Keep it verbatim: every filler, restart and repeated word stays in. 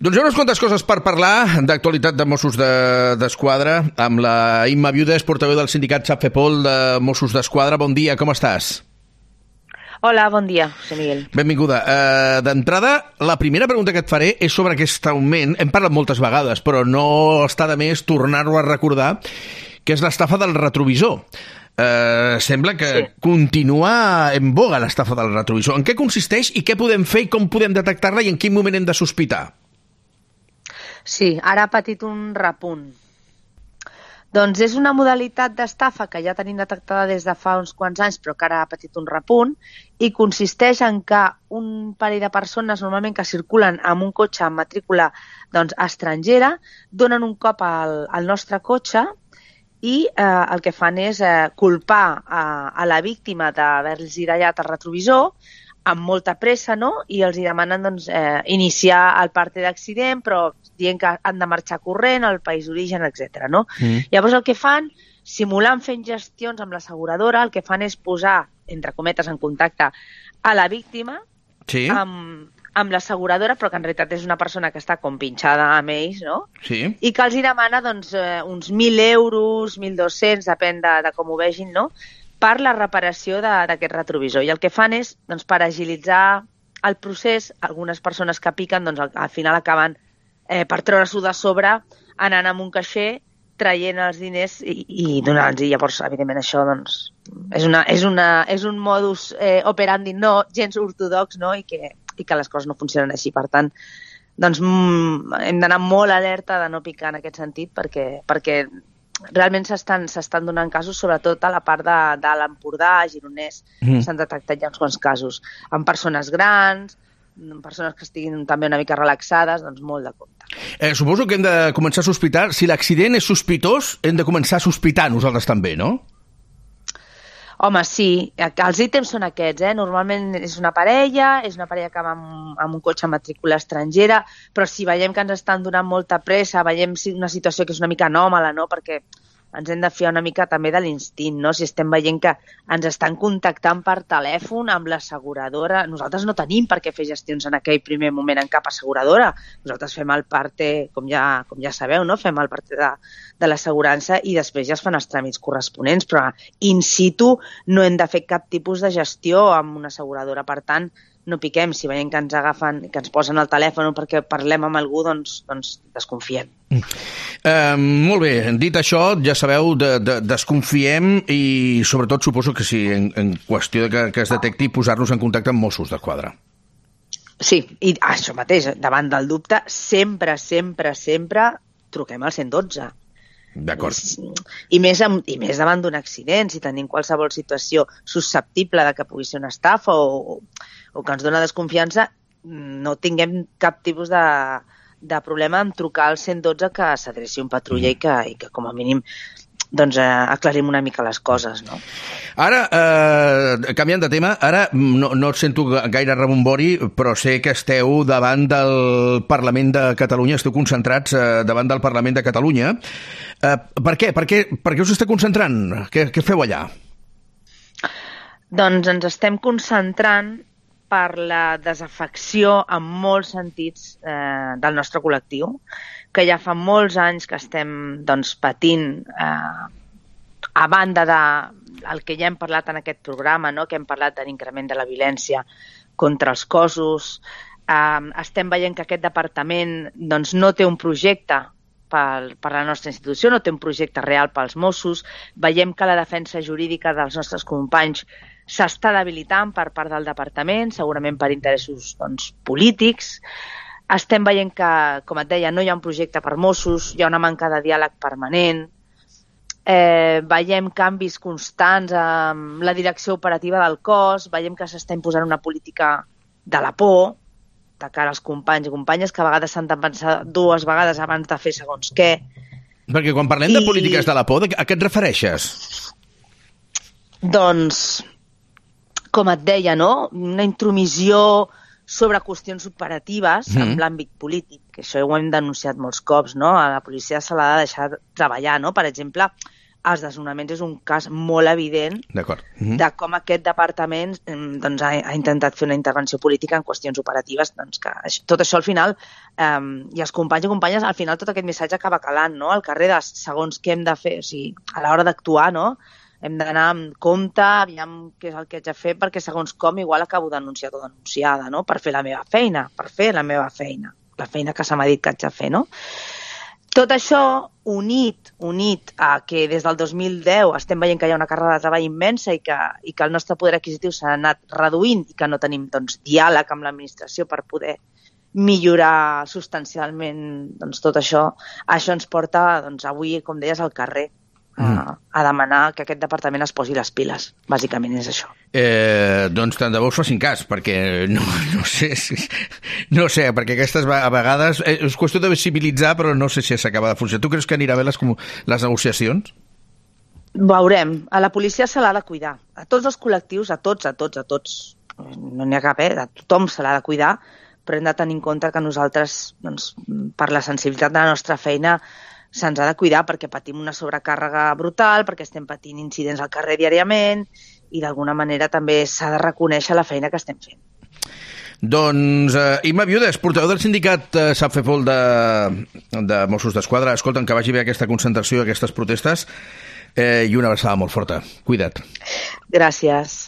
Doncs hi ha unes quantes coses per parlar d'actualitat de Mossos d'Esquadra amb la Imma Viudes, portaveu del sindicat SAPFEPOL de Mossos d'Esquadra. Bon dia, com estàs? Hola, bon dia, senyor Miguel. Benvinguda. Uh, D'entrada, la primera pregunta que et faré és sobre aquest augment. Hem parlat moltes vegades, però no està de més tornar-ho a recordar, que és l'estafa del retrovisor. Uh, sembla que sí. Continua en boga l'estafa del retrovisor. En què consisteix i què podem fer i com podem detectar-la i en quin moment hem de sospitar? Sí, ara ha patit un repunt. Doncs és una modalitat d'estafa que ja tenim detectada des de fa uns quants anys, però que ara ha patit un repunt, i consisteix en que un parell de persones, normalment que circulen amb un cotxe amb matrícula doncs, estrangera, donen un cop al, al nostre cotxe i eh, el que fan és eh, culpar a, a la víctima d'haver-los dallat el retrovisor amb molta pressa, no? I els hi demanen doncs, eh, iniciar el parte d'accident, però dient que han de marxar corrent al país d'origen, etcètera. No? Mm. Llavors el que fan, simulant fent gestions amb l'asseguradora, el que fan és posar, entre cometes, en contacte a la víctima sí. amb, amb l'asseguradora, però que en realitat és una persona que està com pinxada amb ells, no? Sí. I que els hi demana doncs, eh, uns mil euros, mil dos-cents, depèn de, de com ho vegin, no? Per la reparació d'aquest retrovisor. I el que fan és, doncs, per agilitzar el procés, algunes persones que piquen, doncs, al, al final acaben eh, per treure-s'ho de sobre, anant amb un caixer, traient els diners i, i donant-los. I llavors, evidentment, això doncs, és, una, és, una, és un modus eh, operandi no gens ortodox, no? I, que, i que les coses no funcionen així. Per tant, doncs, mm, hem d'anar molt alerta de no picar en aquest sentit perquè, perquè realment s'estan s'estan donant casos, sobretot a la part de, de l'Empordà, Gironès, mm. s'han detectat ja uns quants casos, amb persones grans, amb persones que estiguin també una mica relaxades, doncs molt de compte. Eh, suposo que hem de començar a sospitar, si l'accident és sospitós, hem de començar a sospitar nosaltres també, no? Home, sí, els ítems són aquests, eh? Normalment és una parella, és una parella que va amb, amb un cotxe amb matrícula estrangera, però si veiem que ens estan donant molta pressa, veiem una situació que és una mica anòmala, no? Perquè ens hem de fiar una mica també de l'instint, no? Si estem veient que ens estan contactant per telèfon amb l'asseguradora, nosaltres no tenim per què fer gestions en aquell primer moment en cap asseguradora. Nosaltres fem el parte, com ja, com ja sabeu, no? Fem el parte de, de l'assegurança i després ja es fan els tràmits corresponents, però in situ no hem de fer cap tipus de gestió amb una asseguradora. Per tant, no piquem. Si veiem que ens agafen, que ens posen el telèfon perquè parlem amb algú, doncs, doncs desconfiem. Mm. Uh, molt bé, dit això, ja sabeu, de, de, desconfiem i sobretot suposo que si en, en qüestió de que, que es detecti posar-nos en contacte amb Mossos d'Esquadra. Sí, i això mateix, davant del dubte, sempre, sempre, sempre truquem al cent i dotze. D'acord. I més, amb, i més davant d'un accident, si tenim qualsevol situació susceptible de que pugui ser una estafa o, o que ens dona desconfiança, no tinguem cap tipus de, de problema en trucar al cent i dotze que s'adreci un patrulla mm. i, que, i que com a mínim doncs, eh, aclarim una mica les coses, no? Ara, eh, canviant de tema, ara no, no et sento gaire rebombori, però sé que esteu davant del Parlament de Catalunya, esteu concentrats eh, davant del Parlament de Catalunya. Eh, per què? Per què, per què us esteu concentrant? Què, què feu allà? Doncs ens estem concentrant per la desafecció en molts sentits eh, del nostre col·lectiu, que ja fa molts anys que estem doncs, patint, eh, a banda de el que ja hem parlat en aquest programa, no? Que hem parlat de l'increment de la violència contra els cossos, eh, estem veient que aquest departament doncs, no té un projecte per, per la nostra institució, no té un projecte real pels Mossos, veiem que la defensa jurídica dels nostres companys s'està debilitant per part del departament, segurament per interessos doncs, polítics. Estem veient que, com et deia, no hi ha un projecte per Mossos, hi ha una manca de diàleg permanent, eh, veiem canvis constants amb la direcció operativa del cos, veiem que s'està imposant una política de la por de cara als companys i companyes que a vegades s'han de pensar dues vegades abans de fer segons què. Perquè quan parlem I... de polítiques de la por, a què et refereixes? Doncs, com et deia, no? Una intromissió sobre qüestions operatives mm. en l'àmbit polític, que això ho hem denunciat molts cops, no? A la policia se l'ha de deixar treballar, no? Per exemple, els desnonaments és un cas molt evident mm-hmm. de com aquest departament doncs, ha, ha intentat fer una intervenció política en qüestions operatives, doncs, que tot això al final, eh, i els companys i companyes, al final tot aquest missatge acaba calant, no?, al carrer de segons què hem de fer, o sigui, a l'hora d'actuar, no?, hem d'anar amb compte, aviam què és el que haig de fer, perquè segons com igual acabo denunciat o denunciada, no?, per fer la meva feina, per fer la meva feina, la feina que se m'ha dit que haig de fer, no? Tot això, unit, unit a que des del dos mil deu estem veient que hi ha una càrrega de treball immensa i que, i que el nostre poder adquisitiu s'ha anat reduint i que no tenim doncs, diàleg amb l'administració per poder millorar substancialment doncs, tot això, això ens porta doncs, avui, com deies, al carrer a, mm. a demanar que aquest departament es posi les piles. Bàsicament és això. Eh, doncs tant de bo us facin cas, perquè no, no sé si, no sé, perquè aquestes a vegades eh, és qüestió de visibilitzar, però no sé si s'acaba de funcionar. Tu creus que anirà bé les, les negociacions? Veurem. A la policia se l'ha de cuidar. A tots els col·lectius, a tots, a tots, a tots. No n'hi ha cap, eh? A tothom se l'ha de cuidar, però hem de tenir en compte que nosaltres, doncs, per la sensibilitat de la nostra feina, se'ns ha de cuidar perquè patim una sobrecàrrega brutal, perquè estem patint incidents al carrer diàriament i d'alguna manera també s'ha de reconèixer la feina que estem fent. Doncs, eh, Imma Viudes, portaveu del sindicat eh, Sapfepol de, de Mossos d'Esquadra, escolta'm, que vagi bé aquesta concentració, aquestes protestes, eh, i una abraçada molt forta. Cuida't. Gràcies.